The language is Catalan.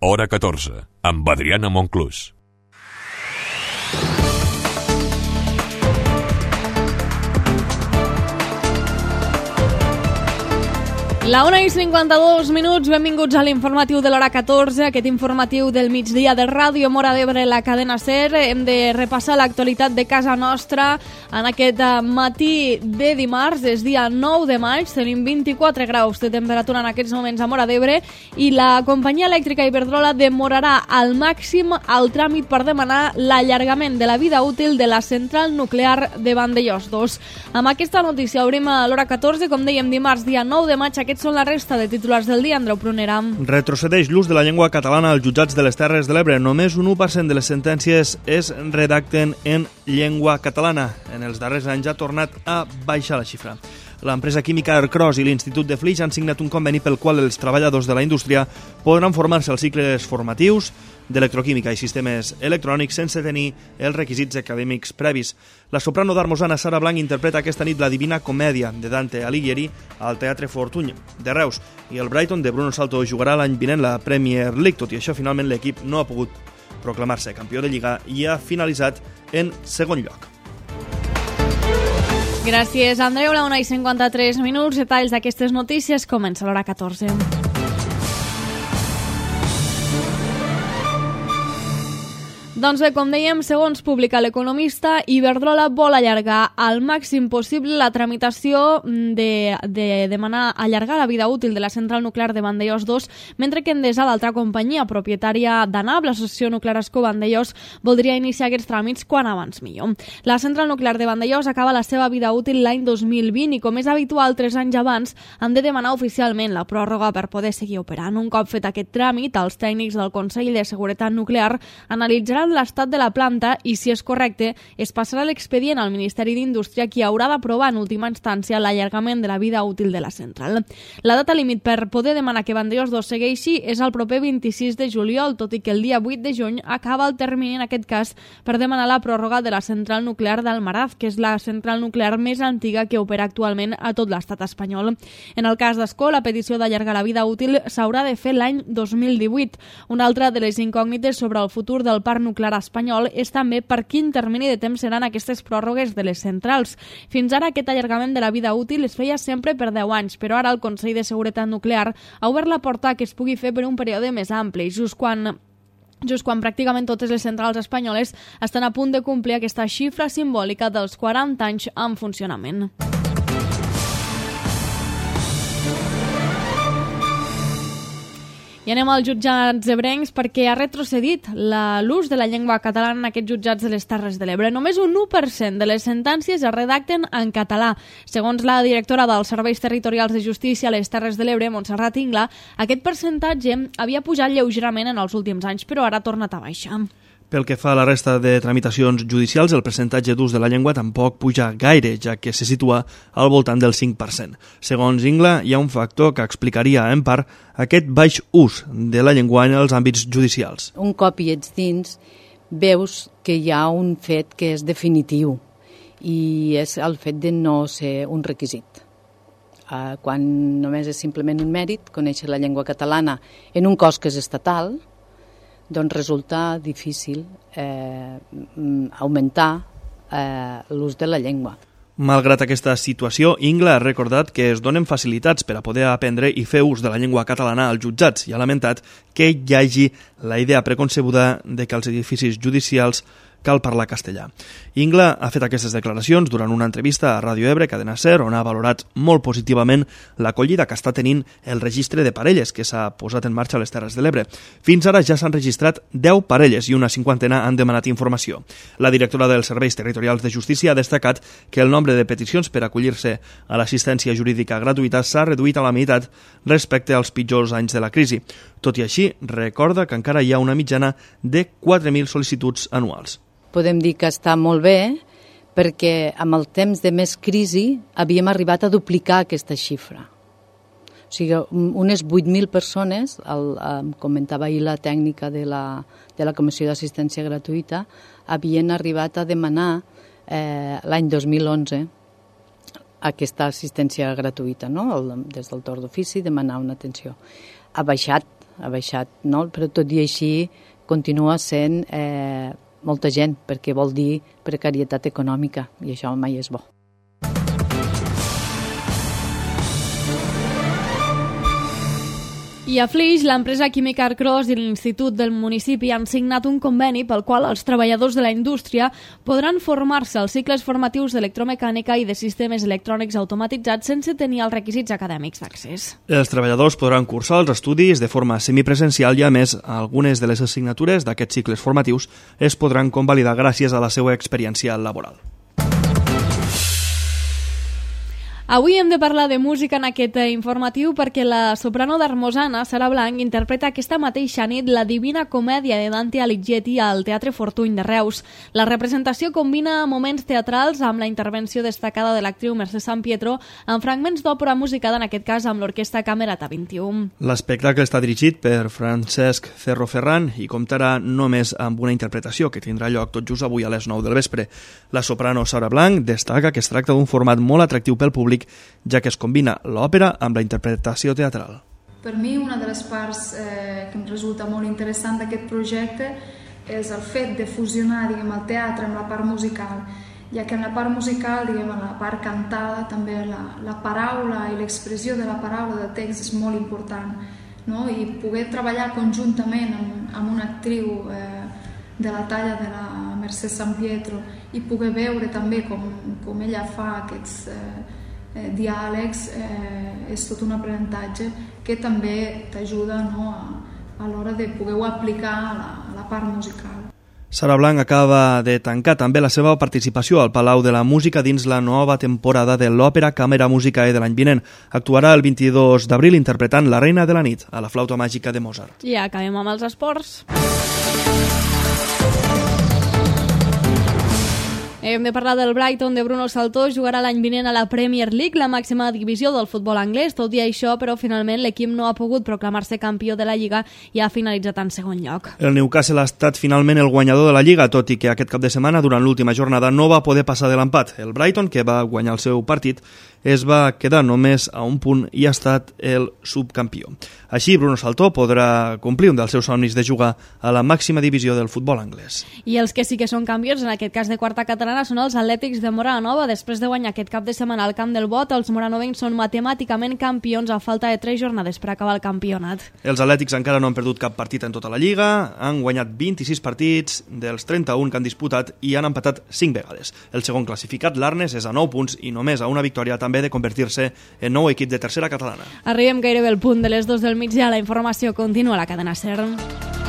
Hora 14, amb Adriana Monclús. La 1:52, benvinguts a l'informatiu de l'hora 14, aquest informatiu del migdia de Ràdio Móra d'Ebre, la cadena SER. Hem de repassar l'actualitat de casa nostra en aquest matí de dimarts, és dia 9 de maig, tenim 24 graus de temperatura en aquests moments a Móra d'Ebre i la companyia elèctrica Iberdrola demorarà al màxim el tràmit per demanar l'allargament de la vida útil de la central nuclear de Vandellòs 2. Amb aquesta notícia obrim a l'hora 14, com dèiem, dimarts, dia 9 de maig. Aquests són la resta de titulars del dia. Andreu Prunera. Retrocedeix l'ús de la llengua catalana als jutjats de les Terres de l'Ebre. Només un 1% de les sentències es redacten en llengua catalana. En els darrers anys ha tornat a baixar la xifra. L'empresa química Ercros i l'Institut de Flix han signat un conveni pel qual els treballadors de la indústria podran formar-se als cicles formatius d'electroquímica i sistemes electrònics sense tenir els requisits acadèmics previs. La soprano d'Armosana Sara Blanc interpreta aquesta nit la Divina Comèdia de Dante Alighieri al Teatre Fortuny de Reus i el Brighton de Bruno Salto jugarà l'any vinent la Premier League. Tot i això, finalment l'equip no ha pogut proclamar-se campió de Lliga i ha finalitzat en segon lloc. Gràcies, Andreu. La 1:53, detalls d'aquestes notícies. Comença l'hora 14. Doncs bé, com dèiem, segons publica l'Economista, Iberdrola vol allargar al màxim possible la tramitació de demanar allargar la vida útil de la central nuclear de Vandellòs 2, mentre que Endesa, l'altra companyia propietària d'ANAP, l'Associació Nuclear Ascó Vandellòs, voldria iniciar aquests tràmits quan abans millor. La central nuclear de Vandellòs acaba la seva vida útil l'any 2020 i, com és habitual, 3 anys abans han de demanar oficialment la pròrroga per poder seguir operant. Un cop fet aquest tràmit, els tècnics del Consell de Seguretat Nuclear analitzaran l'estat de la planta i, si és correcte, es passarà l'expedient al Ministeri d'Indústria, qui haurà d'aprovar en última instància l'allargament de la vida útil de la central. La data límit per poder demanar que Vandellòs 2 segueixi és el proper 26 de juliol, tot i que el dia 8 de juny acaba el termini, en aquest cas, per demanar la pròrroga de la central nuclear d'Almaraz, que és la central nuclear més antiga que opera actualment a tot l'estat espanyol. En el cas d'Ascó, la petició d'allargar la vida útil s'haurà de fer l'any 2018. Una altra de les incògnites sobre el futur del parc nuclear espanyol és també per quin termini de temps seran aquestes pròrrogues de les centrals. Fins ara aquest allargament de la vida útil es feia sempre per 10 anys, però ara el Consell de Seguretat Nuclear ha obert la porta que es pugui fer per un període més ampli, just quan pràcticament totes les centrals espanyoles estan a punt de complir aquesta xifra simbòlica dels 40 anys en funcionament. I anem als jutjats ebrencs perquè ha retrocedit l'ús de la llengua catalana en aquests jutjats de les Terres de l'Ebre. Només un 1% de les sentències es redacten en català. Segons la directora dels Serveis Territorials de Justícia a les Terres de l'Ebre, Montserrat Ingla, aquest percentatge havia pujat lleugerament en els últims anys, però ara ha tornat a baixar. Pel que fa a la resta de tramitacions judicials, el percentatge d'ús de la llengua tampoc puja gaire, ja que se situa al voltant del 5%. Segons Ingla, hi ha un factor que explicaria, en part, aquest baix ús de la llengua en els àmbits judicials. Un cop hi ets dins, veus que hi ha un fet que és definitiu i és el fet de no ser un requisit. Quan només és simplement un mèrit, conèixer la llengua catalana en un cos que és estatal, doncs resulta difícil augmentar l'ús de la llengua. Malgrat aquesta situació, Ingla ha recordat que es donen facilitats per a poder aprendre i fer ús de la llengua catalana als jutjats i ha lamentat que hi hagi la idea preconcebuda de que als edificis judicials cal parlar castellà. Ingla ha fet aquestes declaracions durant una entrevista a Ràdio Ebre, Cadena SER, on ha valorat molt positivament l'acollida que està tenint el registre de parelles que s'ha posat en marxa a les Terres de l'Ebre. Fins ara ja s'han registrat 10 parelles i una 50 han demanat informació. La directora dels Serveis Territorials de Justícia ha destacat que el nombre de peticions per acollir-se a l'assistència jurídica gratuïta s'ha reduït a la meitat respecte als pitjors anys de la crisi. Tot i així, recorda que encara hi ha una mitjana de 4.000 sol·licituds anuals. Podem dir que està molt bé perquè amb el temps de més crisi havíem arribat a duplicar aquesta xifra. O sigui, unes 8.000 persones, comentava ahir la tècnica de la Comissió d'Assistència Gratuïta, havien arribat a demanar l'any 2011 aquesta assistència gratuïta, no? Des del torn d'ofici, demanar una atenció. Ha baixat no? Però tot i així continua sent molta gent, perquè vol dir precarietat econòmica, i això mai és bo. I a Flix, l'empresa química Arcros i l'Institut del municipi han signat un conveni pel qual els treballadors de la indústria podran formar-se als cicles formatius d'electromecànica i de sistemes electrònics automatitzats sense tenir els requisits acadèmics d'accés. Els treballadors podran cursar els estudis de forma semipresencial i, a més, algunes de les assignatures d'aquests cicles formatius es podran convalidar gràcies a la seva experiència laboral. Avui hem de parlar de música en aquest informatiu perquè la soprano d'Hermosana, Sara Blanc, interpreta aquesta mateixa nit la Divina Comèdia de Dante Alighieri al Teatre Fortuny de Reus. La representació combina moments teatrals amb la intervenció destacada de l'actriu Mercè Sampietro amb fragments d'òpera musicada, en aquest cas amb l'Orquestra Camerata 21. L'espectacle està dirigit per Francesc Cerro Ferran i comptarà només amb una interpretació que tindrà lloc tot just avui a les 9 del vespre. La soprano Sara Blanc destaca que es tracta d'un format molt atractiu pel públic, ja que es combina l'òpera amb la interpretació teatral. Per mi, una de les parts que em resulta molt interessant d'aquest projecte és el fet de fusionar, el teatre amb la part musical, ja que en la part musical, en la part cantada, també la paraula i l'expressió de la paraula de text és molt important, no? I poder treballar conjuntament amb una actriu de la talla de la Mercè Sampietro i poder veure també com ella fa aquests diàlegs és tot un aprenentatge que també t'ajuda, no, a l'hora de poder-ho aplicar a la part musical. Sara Blanc acaba de tancar també la seva participació al Palau de la Música dins la nova temporada de l'Òpera Càmera Musicae de l'any vinent. Actuarà el 22 d'abril interpretant La Reina de la Nit, a la flauta màgica de Mozart. I acabem amb els esports. Hem de parlar del Brighton de Bruno Saltó. Jugarà l'any vinent a la Premier League, la màxima divisió del futbol anglès. Tot i això, però, finalment l'equip no ha pogut proclamar-se campió de la Lliga i ha finalitzat en segon lloc. El Newcastle ha estat finalment el guanyador de la Lliga, tot i que aquest cap de setmana, durant l'última jornada, no va poder passar de l'empat. El Brighton, que va guanyar el seu partit, es va quedar només a un punt i ha estat el subcampió. Així, Bruno Saltó podrà complir un dels seus somnis de jugar a la màxima divisió del futbol anglès. I els que sí que són campions, en aquest cas de quarta catalana, són els Atlètics de Moranova. Després de guanyar aquest cap de setmana al Camp del Bot, els moranovencs són matemàticament campions a falta de 3 jornades per acabar el campionat. Els Atlètics encara no han perdut cap partit en tota la Lliga, han guanyat 26 partits dels 31 que han disputat i han empatat 5 vegades. El segon classificat, l'Arnes, és a 9 punts i només a una victòria també de convertir-se en nou equip de tercera catalana. Arribem gairebé al punt de les 2 del migdia. La informació continua a la cadena SER.